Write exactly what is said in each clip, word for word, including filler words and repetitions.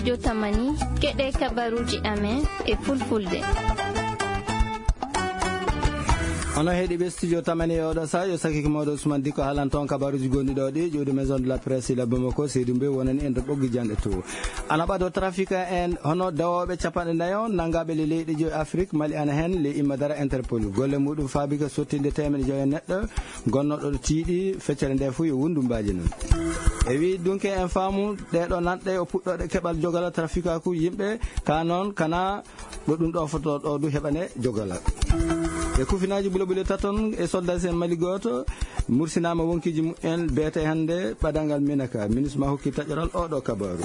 Jotamani, keɗe kabaruji amen e fulfulde. Ono heɗi ɓe studio tamani e oɗo sa yo sakiki mawɗo Ousmane Diko haalan toon kabaruji gonɗi ɗo ɗi ƴuwde maison de la presse ila Bamako seydi mbe wonani en to ɓoggi janɗe to. Ana ɓado trafic en hono dawoɓe capanɗe nayo nangaɓe le leyɗe joyi Afrique, Mali ana hen, le imma dara Interpol golle muɗum faabika sottinde temeɗe joyi e neɗɗo gonnoɗo ɗo tiiɗi feccere nde fof yo wondu mbaji noon. E wi dunke en faamu ɗeɗo nanɗe o puɗɗoɗe keɓal jogala trafikaku yimɓe ka noon kana ɗo ɗum ɗo foto ɗo du heɓane jogala. E kufinaji bulabule taton e soldats en Mali goto mursinama wonkiji mumen beete hande ɓadangal minaka ministre ma hokki taƴoral oɗo kabaru.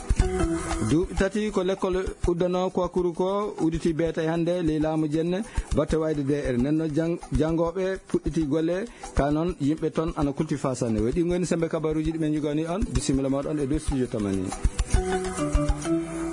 Duuɓi tati ko lekkol uddano kwakuru ko uditi beete hande ley laamu jenne batte wayde D R nenno jang- jangoɓe puɗɗiti golle. Ka noon yimɓe toon ana kulti fasanne waɗi goni sembe kabaruji ɗi ɓe jogani on bisimilla moɗon e dow studio tamani.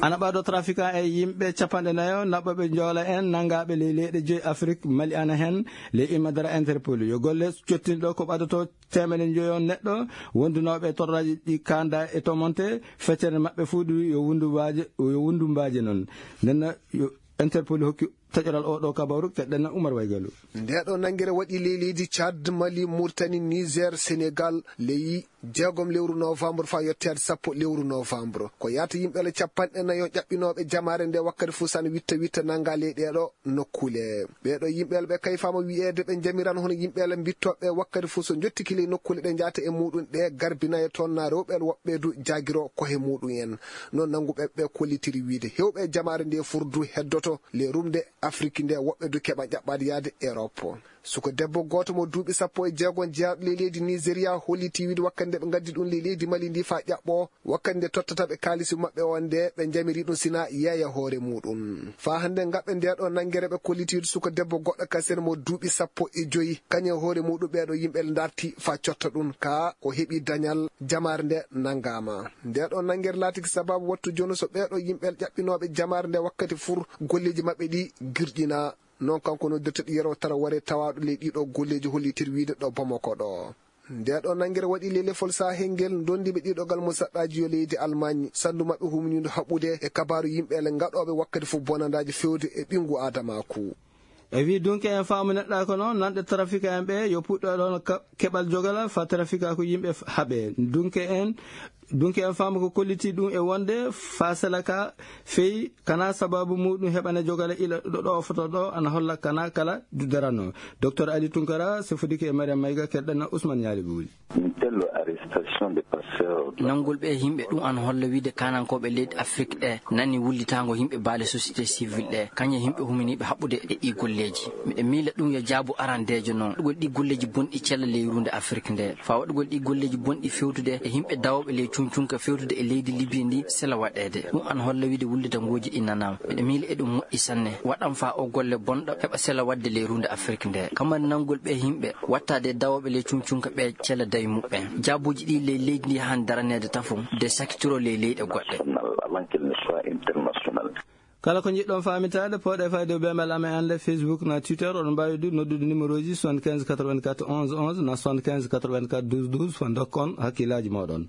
Ana ɓado trafiquant e yimɓe capanɗe nayo naɓɓoɓe joola en nangaɓe ley leyɗe joyi Afrique, Mali ana hen, ley imma dara Interpol yo golle cottinɗo ko ɓadoto temene joyo neɗɗo wondunoɓe torraji ɗi kanda e tomonte feccere maɓɓe fuu ɗi yo wundu mbaje yo wundu mbaje noon. Nenno yo Interpol hokki taƴoral oɗo kabaru keɗɗen Umar Waygalu. Ndeɗo nangere waɗi ley leydi Tchad, Mali, Mauritanie, Niger, Sénégal, ley jeegom lewru novembre fa yetteede sappo lewru novembre. Ko yahata yimɓeele capanɗe nayo ƴaɓɓinooɓe jamaare nde wakkati fof sana witta witta nanga ley ɗeɗo nokkule. Ɓeɗo yimɓeele ɓe kayfama wiyeede ɓe jamiran hono yimɓeele mbittoɓe wakkati fof so jottiki ley nokkule ɗe jahata e muɗum ɗe garbinaye toon na rewɓeele woɓɓe du jagiro kohe muɗum en. Noon nannguɓe ɓe kollitiri wiide hewɓe jamaare nde furdu heddoto le rumde Afrik nde woɓɓe du keɓa ƴaɓɓaade yaade Europe. Suka debbo gooto mo duuɓi sappo e jeego jeyaɗo le leydi Nigeria holliti wiide wakkati nde ɓe ngaddi ɗum le leydi Mali ndi fa ƴaɓɓo wakkati nde tottata ɓe kaalisi maɓɓe on nde ɓe jamiri ɗum sina yeeya hoore muɗum. Fa hannde ngaɓɓe nde ɗo nanngere ɓe kolliti wiide suka debbo goɗɗo kasen mo duuɓi sappo e joyi kañum e hoore muɗum ɓeɗo yimɓe darti fa cotta ɗum ka o heɓi dañal jamaare nde nanngama. Nde ɗo nanngere laatiki sababu wattu jono so ɓeɗo yimɓe ƴaɓɓinooɓe jamaare nde wakkati fur golleji maɓɓe ɗi girƴina. Noon kanko noddirta ɗi yero tara ware tawaɗo ley ɗiɗo golleji hollitir wiide ɗo Bamako ɗo. Nde ɗo nanngere waɗi lelefol sahel ngel dondiɓe ɗiɗo gal mo saɗɗaji yo leydi Almaañ sandu maɓɓe humnidu haɓude e kabaru yimɓe ele ngaɗoɓe wakkati fof bonandaji fewde e ɓingu adamaku. E wi dunke en faamu neɗɗa ko noon nanɗe trafika en ɓe yo puɗɗo ɗon ka- keɓal jogala fa trafika ko yimɓe f- haɓe dunke en. Dunke en faamu ko kolliti ɗum e wonde fa sela ka feyi kana sababu muɗum heɓane jogala ila ɗo ɗo foto ɗo ana holla kana kala dudarano. Docteur Ali Tunkara sefodike e Mariam Mayga keɗɗana Ousmane Ñaali Buuli. Une telle arrestation de passeurs. Nanngol ɓe yimɓe ɗum an holla wiide kanankooɓe leydi Afrik ɗe nani wullitaango yimɓe baale société civile ɗe kañe yimɓe huminiiɓe haɓɓude e ɗi golleeji. Miɗo miila ɗum yo jaabu arandeejo noon waɗugol ɗi golleeji bonɗi cella ley ruunde Afrik nde fa waɗugol ɗi golleeji bonɗi fewtude e yimɓe dawooɓe ley cuncunka fewtude e leydi Libi ndi sela waɗeede. Ɗum an holla wiide wullitangooji ɗi nanaama. Miɗo miila eɗum moƴƴi sanne waɗan fa o golle bonɗo heɓa sela waɗde ley ruunde Afrik nde kamani nanngol ɓe yimɓe wattaade e dawooɓe ley cuncunka ɓe cela dawi muɓɓen jaabuuji ɗi ley leydi ndi han daraneede tafo de sakitiro ley leyɗe goɗɗe. Kala ko njiɗɗon faamitaade pooɗe fayde bembal amen annde Facebook na Twitter oɗon mbaawi du noddude numéro ji soixante-quinze quatre-vingt-quatre onze onze na soixante-quinze quatre-vingt-quatre douze douze fa ndokkon hakkillaaji mooɗon.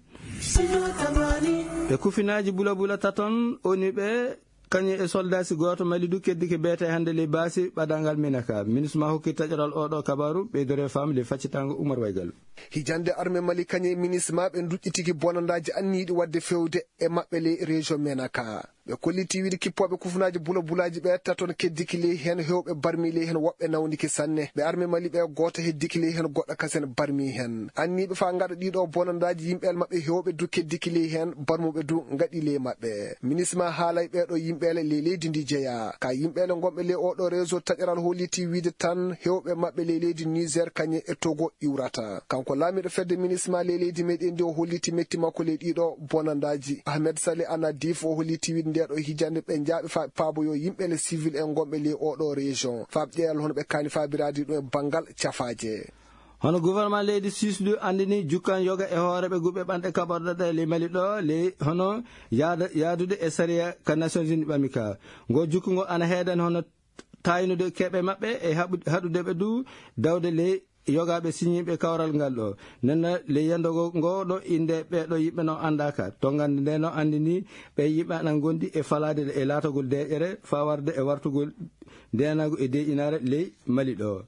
E kufinaaji bula bula taton oni ɓe kañum e soldat si gooto mali du keddike beete hannde ley baasi ɓadangal minaka ministre ma hokki taƴoral oɗo kabaru ɓeydore fam ley faccitango Umar Waygal. Hijande arme mali kañum e ministre ma ɓe duƴƴitiki bonandaji anniyiɗi wadde fewde e maɓɓe ley région menaka. Ɓe kolliti wiide kippooɓe kufunaji bula bulaji ɓe taton keddiki ley hen hewɓe barmi ley hen woɓɓe nawniki sanne ɓe arme mali ɓe gooto heddiki ley hen goɗɗo kasen barmi hen anniɓe fa ngaɗa ɗiɗo bonandaji yimɓel maɓɓe hewɓe du keddiki ley hen barmuɓe du ngaɗi ley maɓɓe. Ministre ma haalay ɓeɗo yimɓele ley leydi ndi jeeya ka yimɓele gonɓe ley oɗo réseau taƴoral holliti wiide tan hewɓe maɓɓe ley leydi Niger kañe e Togo iwrata. Kanko laamiɗo fedde ministre ma ley leydi meɗen ndi o holliti metti makko ley ɗiɗo bonandaji. Ahmed Saleh Anadif o holliti wiide ndeɗo hijande ɓe jaaɓi fa paaboyo yimɓele civil en gonɓe ley oɗo région fa ƴeewal hono ɓe kaani fabirade ɗum e banngal cafaaje. Hono gouvernement leydi Suisse du anndini jukkan yoga e hooreɓe guɓe ɓanɗe kaɓorɗe ɗe ley Mali ɗo ley hono yaada- yaadude e sariya ka Nations Unies ɓami ka. Ngo jukku ngo ana heedan hono taaynude keɓe maɓɓe e haɓu- haɗude ɓe du dawde ley yogaaɓe siñiiɓe kawral ngal ɗo. Nenna ley yandogol ngo ɗo innde ɓee ɗo yimɓe no anndaaka. Tonngande nde no anndini ɓee yimɓe ana ngondi e falaade e laatagol deeƴere faa warde e wartugol ndeenaagu e deeƴinaare ley Mali ɗo.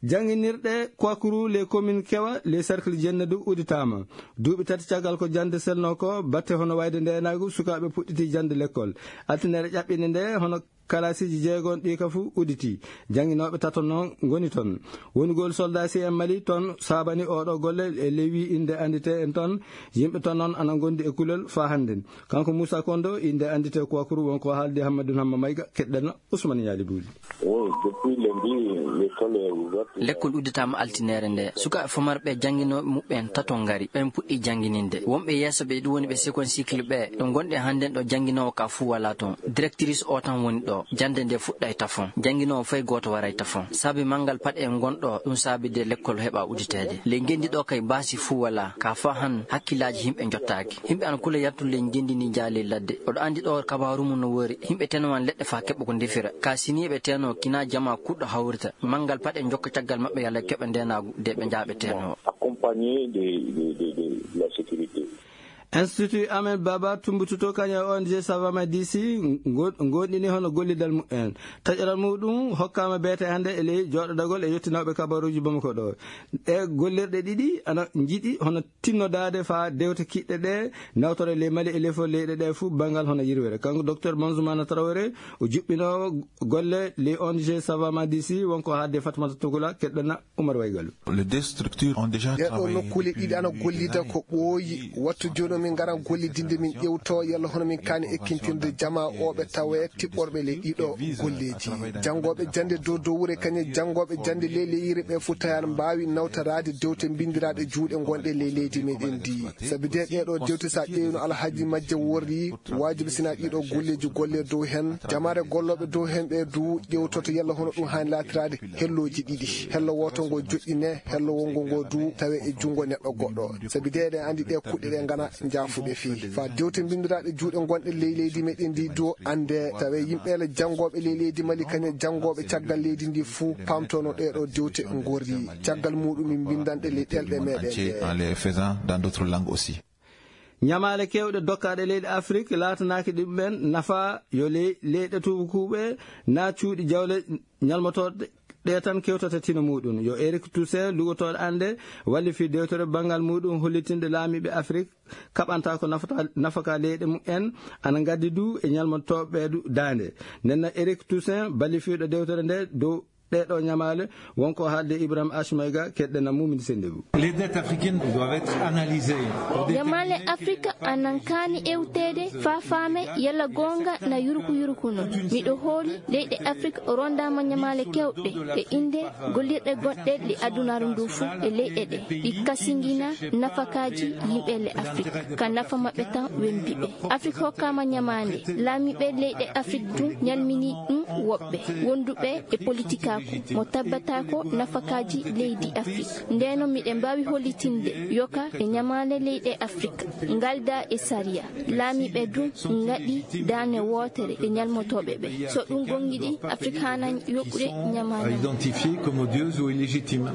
Jannginirɗe Kwakuru, les communes Kewa, les cercles Jennadu udditaama. Duuɓi tati caggal ko jannde selnoo ko, batte hono wayde ndeenaagu, sukaaɓe puɗɗiti jannde lekkol. Altinere ƴaɓɓinde nde, hono kalaasiiji jeegon ɗi ka fuu udditi. Jannginooɓe tato noon ngoni toon. Wonugol soldaasi en Mali toon saabani oɗo golle e ley wi innde annditee en toon. Yimɓe toon noon ana ngondi e kulol faa hannden. Kanko Muusa Kondo, innde annditee Kwakuru, won ko haaldi Hammadun Hamma Mayga, keɗɗen Usman Yaali Buuli. Oui, depuis lundi, l'école est ouverte. Lekkol udditaama altinere nde. Sukaaɓe famarɓe jannginooɓe muɓɓen tato ngari. Ɓen puɗɗi janngininde. Wonɓe yeeso ɓe ɗum woni ɓe second cycle ɓe. Ɗo ngonɗen hannden ɗo jannginoowo ka fuu walaa toon. Directrice o tan woni ɗo. Jannde nde fuɗɗay tafon. Jannginoowo fay gooto waray tafon. Saabi manngal paɗe en ngonɗo, ɗum saabi de lekkol heɓa udditeede. Ley ngenndi ɗo kay baasi fuu walaa. Ka faa han hakkillaaji yimɓe njottaaki. Yimɓe ana kula yaltude ley ngenndi ndi njaha ley ladde. Oɗo anndi ɗo kabaaru mum no woori. Yimɓe tenowan leɗɗe faa keɓa ko ndefira. Ka siniiɓe teno kina jama kuɗɗo hawrita. Manngal paɗe njokka caggal maɓɓe yalla keɓa ndeenaagu de ɓe njaha ɓe teno. Accompagné de, de, de, de la sécurité. Institut Ahmed Baba Tumbututo kañum e O N G Savama D C ngo-, ngoonɗini hono gollidal mumen. Taƴoral muɗum hokkaama beete hannde e ley jooɗodagol e yottinooɓe kabaruuji Bamako ɗo. Ɗe gollirɗe ɗiɗi ana njiɗi hono tinnodaade faa dewte kiɗɗe ɗe nawtore ley Mali e lefol leyɗe ɗe fuu banngal hono yirwere. Kanko Docteur Banzoumana Traoré, o juɓɓinoowo golle ley O N G Savama D C, wonko haalde Fatmata Tugula, keɗɗona Umar Waygalu. Les deux structures ont déjà travaillé depuis des années. Ɗeɗo nokkuule ɗiɗi ana gollida ko ɓooyi. Wattu jooni min ngara gollidinde, min ƴewto yalla hono min kaani ekkintirde jama o ɓe tawe tiɓɓorɓe ley ɗiɗo golleeji. Janngooɓe jannde dow dowre kañe janngooɓe jannde ley leyre ɓe fuu tawi ana mbaawi nawtoraade dewte mbinndiraaɗe juuɗe ngonɗe ley leydi meɗen ndi. Sabi de ɗeɗo dewte sa ƴeewino alhaaji majje worri, waajibi sina ɗiɗo golleeji golle dow hen. Jamaare gollooɓe dow hen ɓe du ƴewtoto yalla hono ɗum haani laatiraade. Hellooji ɗiɗi, hello wooto ngo joɗɗine, hello wonngo ngo du tawe e junngo neɗɗo goɗɗo. Sabi de eɗen anndi ɗe kuɗɗe ɗe ngana njaafuɗe fii. Faa dewte mbinndiraaɗe juuɗe ngonɗe ley leydi meɗen ndi du annde, tawe yimɓe le janngooɓe ley leydi Mali kañe janngooɓe caggal leydi ndi fuu paamtono ɗeɗo dewte ngorri. Caggal muɗum min mbinndanɗe ley ɗelɗe meɗen ɗe. En les faisant dans d'autres langues aussi. Ñamaale keewɗe dokkaaɗe leyɗe Afrik laatanaaki ɗum'en nafa yo ley-, leyɗe tuubukuuɓe naa cuuɗi jawle ñalmotooɗe ɗe tan kewtata tino muɗum. Yo Eric Toussaint lugotooɗo annde wallifii dewtere banngal muɗum hollitinde laamiiɓe Afrik kaɓanta ko nafata, nafaka leyɗe mumen ana ngaddi du e ñalmotooɓe ɓe du daande. Nden noon Eric Toussaint ballifiiɗo dewtere nde dow ɗeɗo ñamaale, wonko haalde Ibrahim Ashmayga, keɗɗen Mumini Sendegu. Les dettes africaines doivent être analysées. Ñamaale Afrika anan kaani ewteede faa faame yalla goonga na yuruku yuruku no. Miɗo hooli leyɗe Afrika rondaama ñamaale kewɗe e innde gollirɗe goɗɗe le adunaaru ndu fuu e leyɗe ɗe. Ɗi kasingina nafakaaji yimɓe le Afrika. Ka nafa maɓɓe tan wembi ɓe. Afrik hokkaama ñamaande. Laamiiɓe leyɗe Afrik du ñalmini ɗum woɓɓe wonduɓe e politikaaku mo tabbataako nafakaaji leydi Afrik. Ndeno miɗen mbaawi hollitinde yoka e ñamaale leyɗe Afrik ngalda e sariya. Laamiiɓe du ngaɗi daane wootere e ñalmotooɓe ɓe. So ɗum gongiɗi, Afrik haana yoɓude ñamaande. Identifié comme odieuse ou illégitime.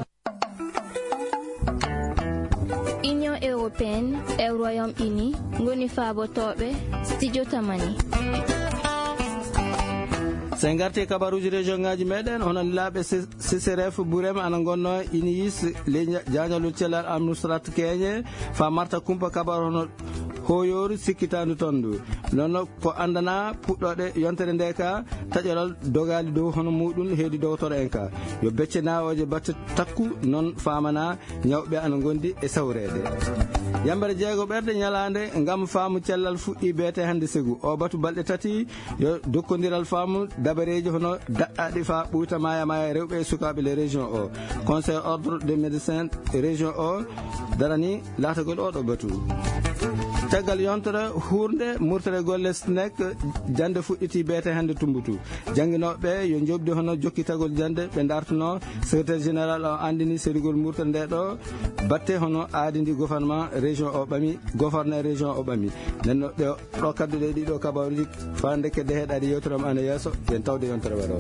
Union européenne e Royaume-Uni ngoni faabotooɓe Studio Tamani. So en ngartii e kabaruuji région ngaaji meɗen, hono lilaaɓe C-, C C R F Burema ana ngonnoo Iniyis ley ja-, jaañalol cellal Amnusrat Keñe, faa marta kumpa kabaru hono hooyooru sikkitaandu toon ndu. Noon ko anndana puɗɗooɗe yontere nde ka, taƴoral dogaali dow hono muɗum heedi dowtoro en ka. Yo becce naawooje batte takku noon faamana ñawɓe ana ngondi e sawreede. Yambere jeego ɓerde ñalaande ngam faamu cellal fuɗɗi beete hannde segu. O batu balɗe tati yo dokkondiral faamu dabareeji hono daɗɗaaɗi faa ɓuyta maaya maaya rewɓe e sukaaɓe le région o. Conseil ordre des médecins région o darani laatagol oɗo batu. Caggal yontere huurnde murtere golle SNEC, jannde fuɗɗiti beete hannde Tumbutu. Jannginooɓe yo njoɓdi hono jokkitagol jannde ɓe dartuno. Secrétaire général o anndini serugol murtere nde ɗo batte hono aadi ndi gouvernement région o ɓami, gouverneur région o ɓami. Nden no ɗo, ɗo kadduɗe ɗiɗo kabaruuji faa ndekke de heɗaade yewtere am ana yeeso, yen tawde yontere waro.